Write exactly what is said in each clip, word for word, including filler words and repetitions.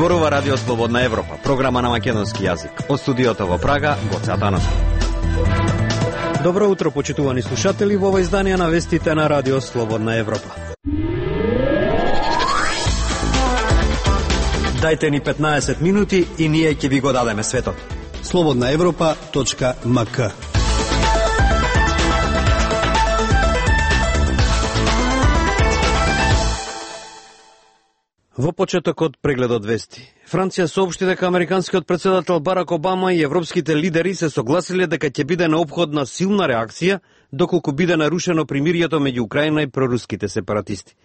Зборува Радио Слободна Европа, програма на македонски јазик. Од студиото во Прага, Гоце Атанасов. Добро утро, почитувани слушатели, во ова издание на вестите на Радио Слободна Европа. Дајте ни петнаесет минути и ние ќе ви го дадеме светот. слободна европа точка ем ка. Во почетокот прегледот вести. Франција соопшти дека американскиот председател Барак Обама и европските лидери се согласиле дека ќе биде неопходна силна реакција доколку биде нарушено примирието меѓу Украина и проруските сепаратисти.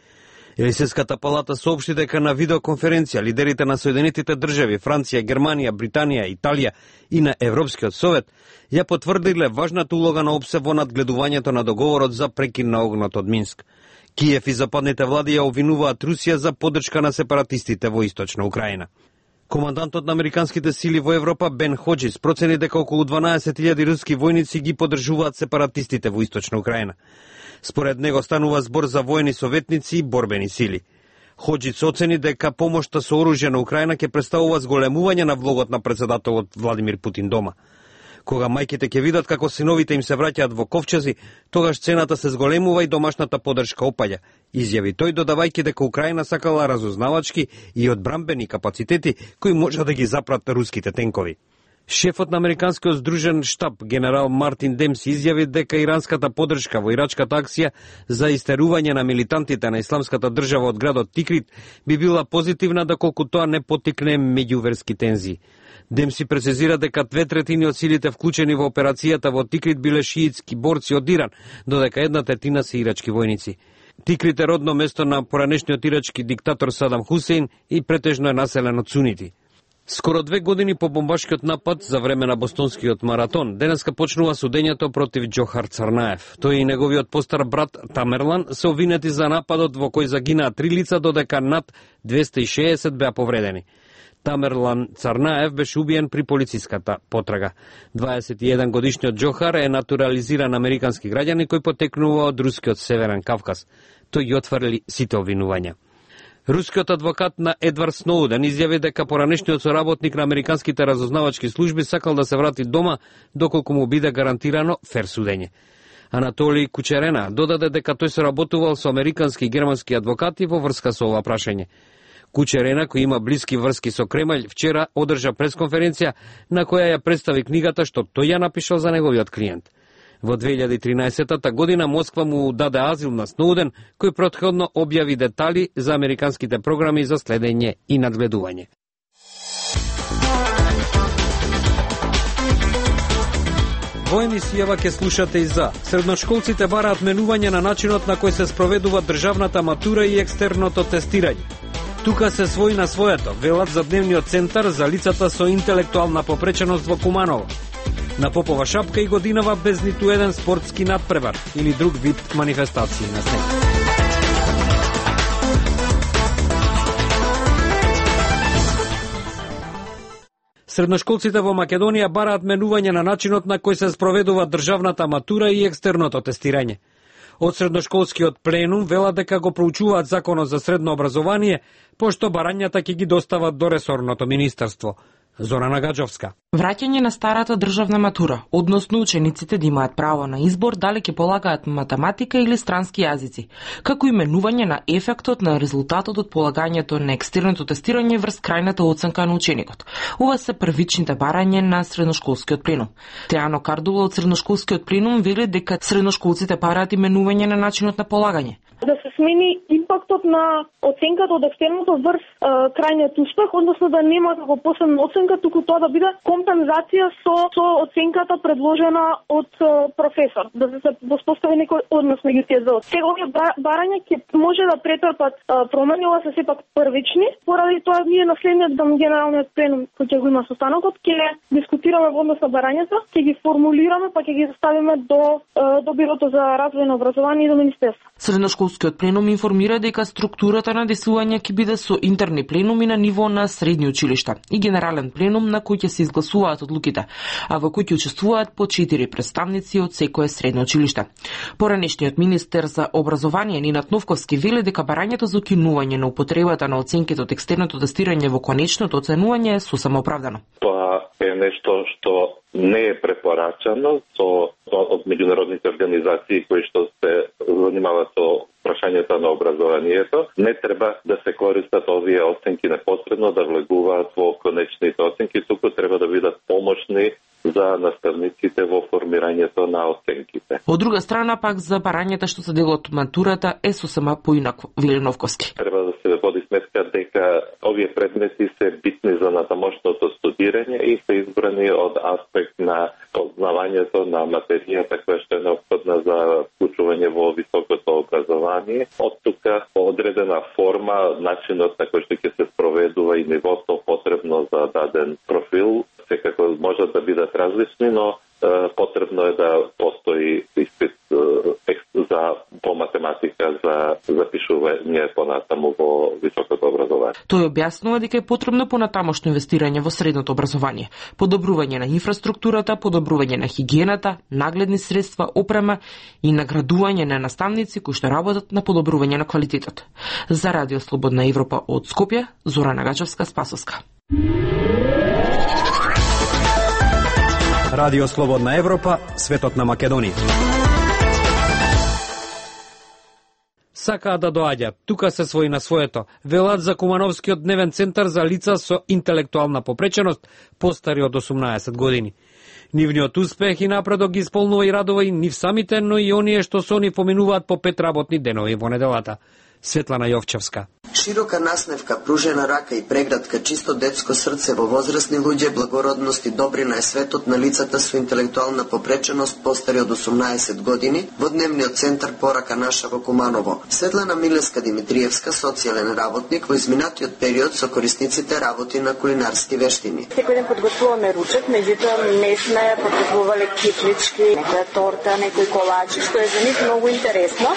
Елисејската палата соопшти дека на видеоконференција лидерите на Соединетите држави, Франција, Германија, Британија, Италија и на Европскиот совет ја потврдиле важната улога на ОПСЕ во надгледувањето на договорот за прекин на огнот од Минск. Киев и западните влади ја обвинуваат Русија за поддршка на сепаратистите во источна Украина. Командантот на американските сили во Европа Бен Ходжис процени дека околу дванаесет илјади руски војници ги поддржуваат сепаратистите во источна Украина. Според него станува збор за воени советници и борбени сили. Ходжис оцени дека помошта со оружје на Украина ќе представува зголемување на влогот на председателот Владимир Путин дома. Кога мајките ќе видат како синовите им се враќаат во ковчези, тогаш цената се зголемува и домашната поддршка опаѓа, изјави тој, додавајќи дека Украина сакала разузнавачки и одбрамбени капацитети кои може да ги запрат руските тенкови. Шефот на американскиот здружен штаб, генерал Мартин Демси, изјави дека иранската поддршка во ирачката акција за истерување на милитантите на исламската држава од градот Тикрит би била позитивна доколку тоа не поттикне меѓуверски тензии. Демси прецизира дека две третини од силите вклучени во операцијата во Тикрит биле шиитски борци од Иран, додека една третина се ирачки војници. Тикрит е родно место на поранешниот ирачки диктатор Садам Хусейн и претежно е населено од сунити. Скоро две години по бомбашкиот напад за време на бостонскиот маратон, денеска почнува судењето против Џохар Царнаев. Тој и неговиот постар брат Тамерлан се обвинети за нападот во кој загинаа три лица, додека над двесте и шеесет беа повредени. Тамерлан Царнаев беше убиен при полициската потрага. дваесет и еден годишниот Џохар е натурализиран американски граѓанин кој потекнува од рускиот Северен Кавказ. Тој ги отврли сите обвинувања. Рускиот адвокат на Едвард Сноуден изјави дека поранешниот соработник на американските разузнавачки служби сакал да се врати дома доколку му биде гарантирано фер судење. Анатолий Кучерена додаде дека тој соработувал со американски и германски адвокати во врска со ова прашање. Кучерена, кој има блиски врски со Кремљ, вчера одржа пресконференција на која ја представи книгата што тој ја напишал за неговиот клиент. Во две илјади и тринаесета година Москва му даде азил на Сноуден, кој претходно објави детали за американските програми за следење и надгледување. Во емисијава ќе слушате и за средношколците бараат менување на начинот на кој се спроведува државната матура и екстерното тестирање. Тука се свој на своето, велат за дневниот центар за лицата со интелектуална попреченост во Куманово. На Попова шапка и годинава без ниту еден спортски надпревар или друг вид манифестации на снег. Средношколците во Македонија бараат менување на начинот на кој се спроведува државната матура и екстерното тестирање. Од средношколскиот пленум велат дека го проучуваат законот за средно образование, пошто барањата ќе ги достават до ресорното министерство. Зорана Гаджовска. Враќање на старата државна матура, односно учениците да имаат право на избор дали ќе полагаат математика или странски јазици, како и менување на ефектот на резултатот од полагањето на екстерното тестирање врз крајната оценка на ученикот. Ова се првичните барања на средношколскиот пленум. Теано Кардула од средношколскиот пленум вели дека средношколците бараат и менување на начинот на полагање. Да се смени импактот на оценката од екстерното врз е, крајниот успех, односно да нема како посебна оценка, туку тоа да биде компензација со, со оценката предложена од е, професор, да се воспостави некој однос меѓу тие две. Сега овие барања ќе може да претрпат е, промени, ова се сепак првични, поради тоа ние на следниот дом генералниот пленум кој ќе го има состанокот, ќе дискутираме во однос на барањата, ќе ги формулираме, па ќе ги заставиме до, е, до Бирото за развој на образование и до Министерство. Средношколскиот пленум информира дека структурата на действување ќе биде со интерни пленуми на ниво на средни училишта и генерален пленум на кој ќе се изгласуваат одлуките, а во кој ќе учествуваат по четири представници од секое средно училиште. Поранешниот министер за образование Нинат Новковски вели дека барањето за укинување на употребата на оценките од екстерното тестирање во конечното оценување е сосема оправдано. Тоа е нешто што не е препорачано со од меѓународните организации кои што се занимаваат со прашањата на образованието. Не треба да се користат овие оценки непосредно да влегуваат во конечните оценки, туку треба да бидат помошни за наставниците во формирањето на оценките. Од друга страна пак за барањата што се дел од матурата е сосема поинакво, вели Новковски. Треба да се води сметка дека овие предмети се битни за натамошното студирање и се избрани од аспект на познавањето на материјата која што е неопходна за вклучување во високото образование. Од тука по одредена форма, начинот на кој што ќе се спроведува и нивото потребно за даден профил секако можат да бидат различни, но е, потребно е да постои испит е, за по математика за запишување понатаму во високото образование. Тој објаснува дека е потребно понатамошно инвестирање во средното образование, подобрување на инфраструктурата, подобрување на хигиената, нагледни средства, опрема и наградување на наставници кои што работат на подобрување на квалитетот. За Радио Слободна Европа од Скопје, Зора Нагачевска, Спасовска. Радио Слободна Европа, светот на Македонија. Сакаат да доаѓаат, тука се свои на своето, велат за Кумановскиот дневен центар за лица со интелектуална попреченост, постари од осумнаесет години. Нивниот успех и напредок ги исполнува и радува и нив самите, но и оние што со они поминуваат по пет работни денови во неделата. Светлана Јовчевска. Широка насневка, пружена рака и преградка, чисто детско срце во возрастни луѓе, благородност и добрина е светот на лицата со интелектуална попреченост постари од осумнаесет години во дневниот центар Порака наша во Куманово. Светлана Милеска Димитриевска, социјален работник, во изминатиот период со корисниците работи на кулинарски вештини. Секој ден подготвуваме ручек, меѓутоа не сме подготвувале киплички, некоја торта, некој колачи, што е за нив многу интересно.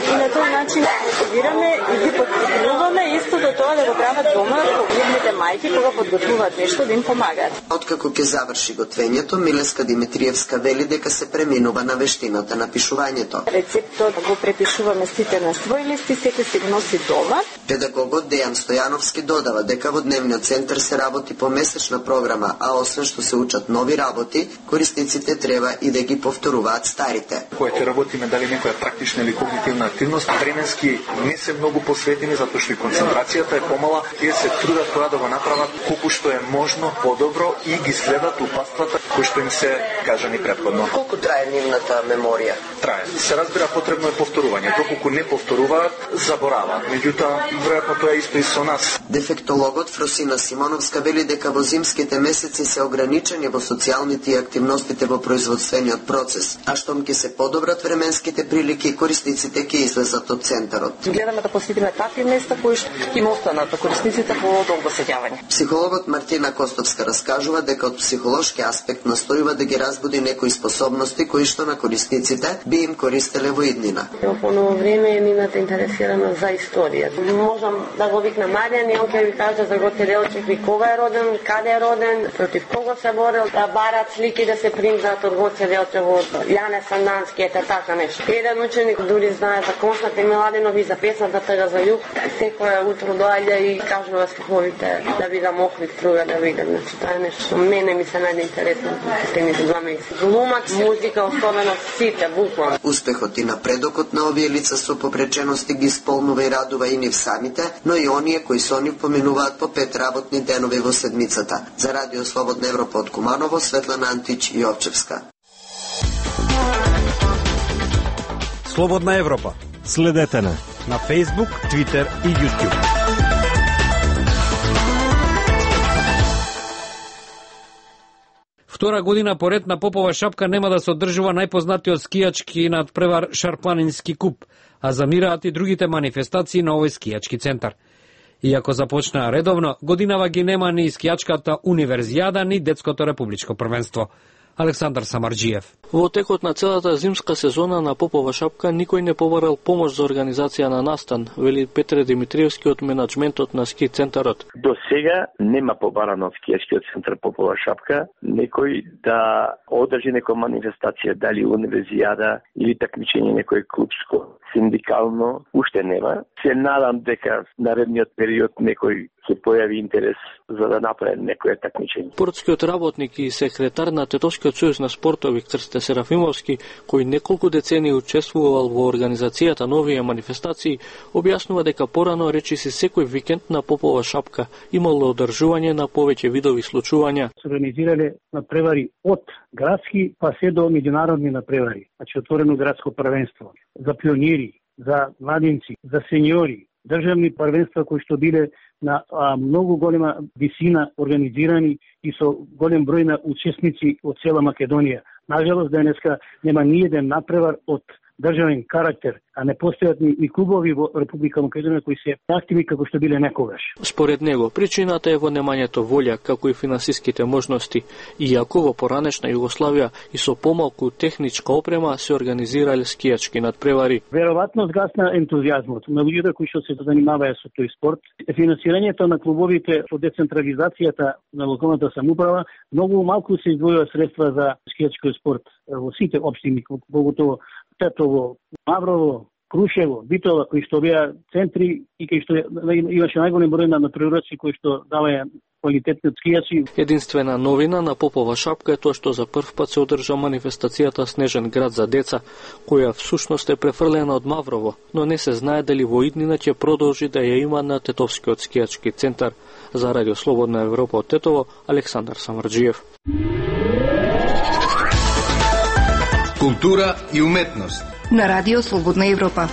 И на тој начин собираме и ги подготвуваме истото тоа да го прават дома едните мајки кога подготвуваат нешто да им помагаат. Откако ќе заврши готвењето, Милеска Димитриевска вели дека се преминува на вештината на пишувањето. Рецептот го препишуваме сите на свој лист и секој си го носи дома. Педагогот Дејан Стојановски додава дека во дневниот центар се работи по месечна програма, а освен што се учат нови работи, корисниците треба и да ги повторуваат старите. Кога ќе работиме дали некоја практична или когнитивна активност, временски не се многу посветени затоа што и концентрацијата е помала, тие се трудат тоа да го направат колку што е можно подобро и ги следат упатствата кои што им се кажани претходно. Колку трае нивната меморија? Трае. Се разбира, потребно е повторување. Доколку не повторуваат, забораваат. Меѓутоа, веројатно тоа е исто и со нас. Дефектологот Фросина Симоновска вели дека во зимските месеци се ограничени во социјалните и активностите во производствениот процес, а штом ќе се подобрат временските прилики, корисниците ќе излезат од центарот. Гледаме да посетиме такви места кои што им останат корисниците по долго сеќавање. Психологот Мартина Костовска раскажува дека од психолошки аспект настојува да ги разбуди некои способности кои што на корисниците би им користеле во иднина. Во ново време мината интересирана за историја. Можам да го викнам Маријан и он ќе ви каже за Гоце Делчев и кога е роден, каде е роден, против кого се борел, да барат слики да се принтат од Гоце Делчев, од Јане Сандански, ете така нешто. Еден ученик дури знае за Константин Миладинов и за песната Тага за југ. Секоја утро доаѓа и кажува стиховите да видам Охрид струга, да видам. Значи, тоа е нешто мене ми се најде интересно последните два месеца. Глумак, музика, особено сите, буквално. Успехот и напредокот на овие лица со попречености ги исполнува и радува и нив самите, но и оние кои со нив поминуваат по пет работни денови во седмицата. За Радио Слободна Европа од Куманово, Светлана Антич и Јовчевска. Слободна Европа. Следете на на Facebook, Twitter и YouTube. Втора година поред на Попова шапка нема да се одржува најпознатиот скијачки надпревар Шарпланински куп, а замираат и другите манифестации на овој скијачки центар. Иако започнаа редовно, годинава ги нема ни скијачката универзијада, ни детското републичко првенство. Александар Самарџиев. Во текот на целата зимска сезона на Попова шапка никој не побарал помош за организација на настан, вели Петре Димитриевски од менаџментот на ски центарот. До сега нема побарано од скијачкиот центар Попова шапка некој да одржи некоја манифестација, дали универзијада или такмичење некој клубско, синдикално, уште нема. Се надам дека наредниот период некој се појави интерес за да направи некоја такмичење. Спортскиот работник и секретар на Тетовскиот сојуз на спортови Крсте Серафимовски, кој неколку децении учествувал во организацијата на овие манифестации, објаснува дека порано речиси секој викенд на Попова шапка имало одржување на повеќе видови случувања. Се организирале надпревари од градски па се до меѓународни надпревари, значи отворено градско првенство за пионири, за младинци, за сеньори, државни првенства кои што биле на а, многу голема висина организирани и со голем број на учесници од цела Македонија. Нажалост, денеска нема ни еден напревар од државен карактер, а не постојат ни, ни клубови во Република Македонија кои се активни како што биле некогаш. Според него, причината е во немањето волја, како и финансиските можности, иако во поранешна Југославија и со помалку техничка опрема се организирале скијачки надпревари. Веројатно згасна ентузијазмот на луѓето кои што се занимаваат со тој спорт. Финансирањето на клубовите со децентрализацијата на локалната самоуправа многу малку се издвојува средства за скијачки спорт во сите општини, поготово Тетово, Маврово, Крушево, Битола, кои што беа центри и кои што имаше најголем број на природци кои што даваја квалитетни скијачи. Единствена новина на Попова шапка е тоа што за прв пат се одржа манифестацијата Снежен град за деца, која всушност е префрлена од Маврово, но не се знае дали во иднина ќе продолжи да ја има на Тетовскиот скијачки центар. За Радио Слободна Европа од Тетово, Александар Самарџиев. Култура и уметност на Радио Слободна Европа.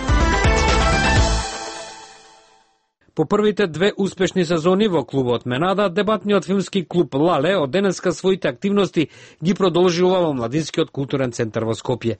По првите две успешни сезони во клубот Менада, дебатниот филмски клуб Лале од денеска своите активности ги продолжува во Младинскиот културен центар во Скопје.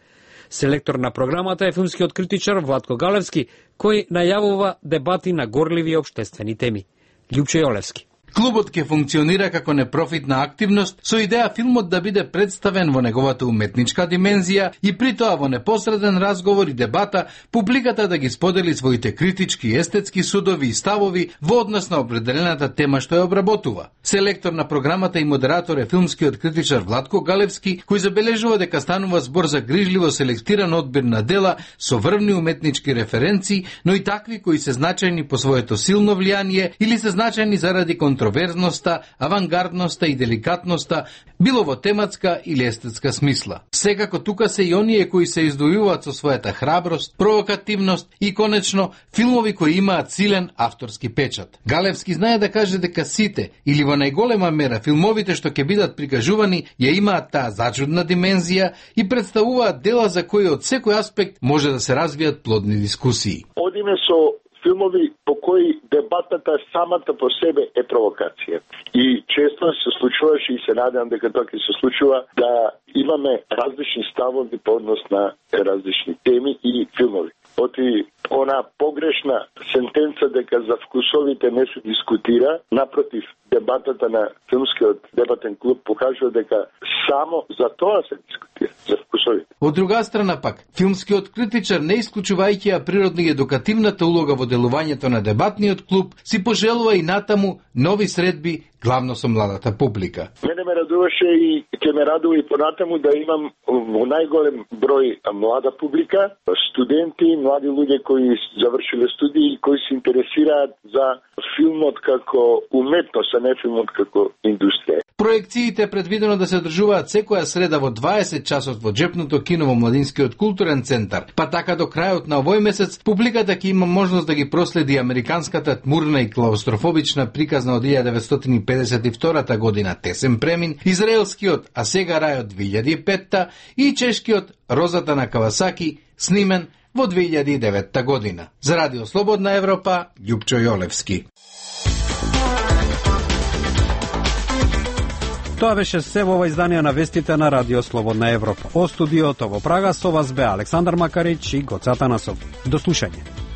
Селектор на програмата е филмскиот критичар Владко Галевски, кој најавува дебати на горливи општествени теми. Љупчо Јолевски. Клубот ќе функционира како непрофитна активност со идеја филмот да биде представен во неговата уметничка димензија и при тоа во непосреден разговор и дебата публиката да ги сподели своите критички и естетски судови и ставови во однос на определената тема што ја обработува. Селектор на програмата и модератор е филмскиот критичар Владко Галевски, кој забележува дека станува збор за грижливо селектиран одбир на дела со врвни уметнички референции, но и такви кои се значајни по своето силно влијание или се значајни заради контроверзноста, авангардноста и деликатноста, било во тематска или естетска смисла. Секако тука се и оние кои се издвојуваат со својата храброст, провокативност и конечно филмови кои имаат силен авторски печат. Галевски знае да каже дека сите или во најголема мера филмовите што ќе бидат прикажувани ја имаат таа зачудна димензија и представуваат дела за кои од секој аспект може да се развијат плодни дискусии. Одиме со филмови по кои дебатата самата по себе е провокација. И често се случуваше и се надевам дека тоа ќе се случува да имаме различни ставови по однос на различни теми и филмови. Оти она погрешна сентенца дека за вкусовите не се дискутира, напротив, дебатата на филмскиот дебатен клуб покажува дека само за тоа се дискутира, за вкусовите. Од друга страна пак, филмскиот критичар, не исклучувајќи ја природна и едукативната улога во делувањето на дебатниот клуб, си пожелува и натаму нови средби, главно со младата публика. Мене ме радуваше и ќе ме радува и понатаму да имам во најголем број млада публика, студенти, млади луѓе кои завршиле студии и кои се интересираат за филмот како уметност, а не филмот како индустрија. Проекциите е предвидено да се одржуваат секоја среда во дваесет часот во џепното кино во Младинскиот културен центар, па така до крајот на овој месец публиката ќе има можност да ги проследи американската тмурна и клаустрофобична приказна од илјада деветстотини и педесет и втора година Тесен премин, израелскиот А сега рај од две илјади и петта и чешкиот Розата на Кавасаки, снимен во две илјади и девета година. За Радио Слободна Европа, Љупчо Јолевски. Тоа беше се во ова издание на вестите на Радио Слободна Европа. О студиото во Прага со вас бе Александар Макарич и Гоце Атанасов. До слушање.